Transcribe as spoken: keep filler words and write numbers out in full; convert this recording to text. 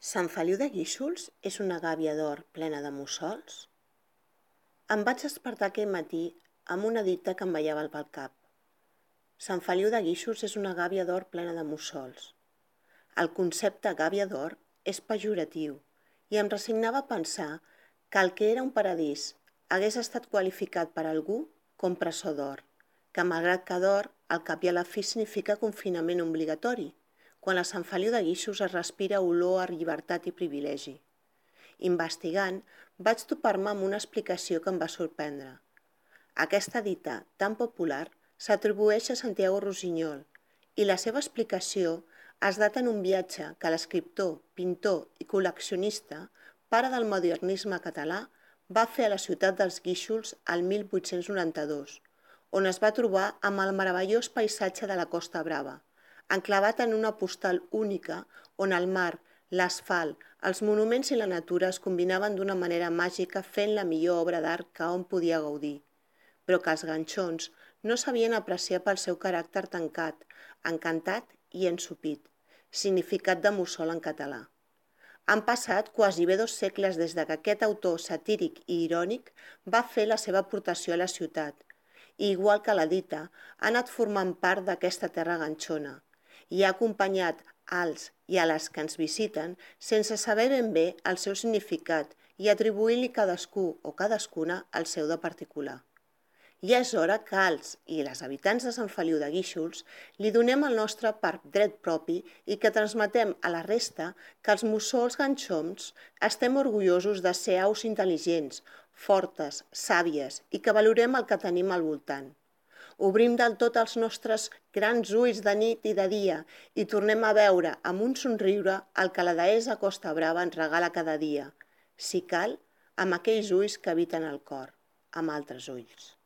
Sant Feliu de Guíxols és una gàbia d'or plena de mussols? Em vaig despertar aquell matí amb una dita que em ballava pel cap. Sant Feliu de Guíxols és una gàbia d'or plena de mussols. El concepte gàbia d'or és pejoratiu i em resignava a pensar que el que era un paradís hagués estat qualificat per algú com presó d'or, que malgrat que d'or, al cap i a la fi significa confinament obligatori, quan a Sant Feliu de Guíxols es respira olor a llibertat i privilegi. Investigant, vaig topar-me amb una explicació que em va sorprendre. Aquesta dita tan popular s'atribueix a Santiago Rusiñol i la seva explicació es data en un viatge que l'escriptor, pintor i col·leccionista, pare del modernisme català, va fer a la ciutat dels Guíxols el mil vuit-cents noranta-dos, on es va trobar amb el meravellós paisatge de la Costa Brava, enclavat en una postal única on el mar, l'asfalt, els monuments i la natura es combinaven d'una manera màgica fent la millor obra d'art que hom podia gaudir, però que els ganxons no sabien apreciar pel seu caràcter tancat, encantat i ensopit, significat de mussol en català. Han passat quasi bé dos segles des que aquest autor satíric i irònic va fer la seva aportació a la ciutat, i igual que la dita, ha anat formant part d'aquesta terra ganxona i ha acompanyat als i a les que ens visiten sense saber ben bé el seu significat i atribuir-li cadascú o cadascuna el seu de particular. Ja és hora que els i les habitants de Sant Feliu de Guíxols li donem el nostre per dret propi i que transmetem a la resta que els mussols ganxons estem orgullosos de ser aus intel·ligents, fortes, sàvies i que valorem el que tenim al voltant. Obrim del tot els nostres grans ulls de nit i de dia i tornem a veure amb un somriure el que la deessa Costa Brava ens regala cada dia, si cal, amb aquells ulls que habiten el cor, amb altres ulls.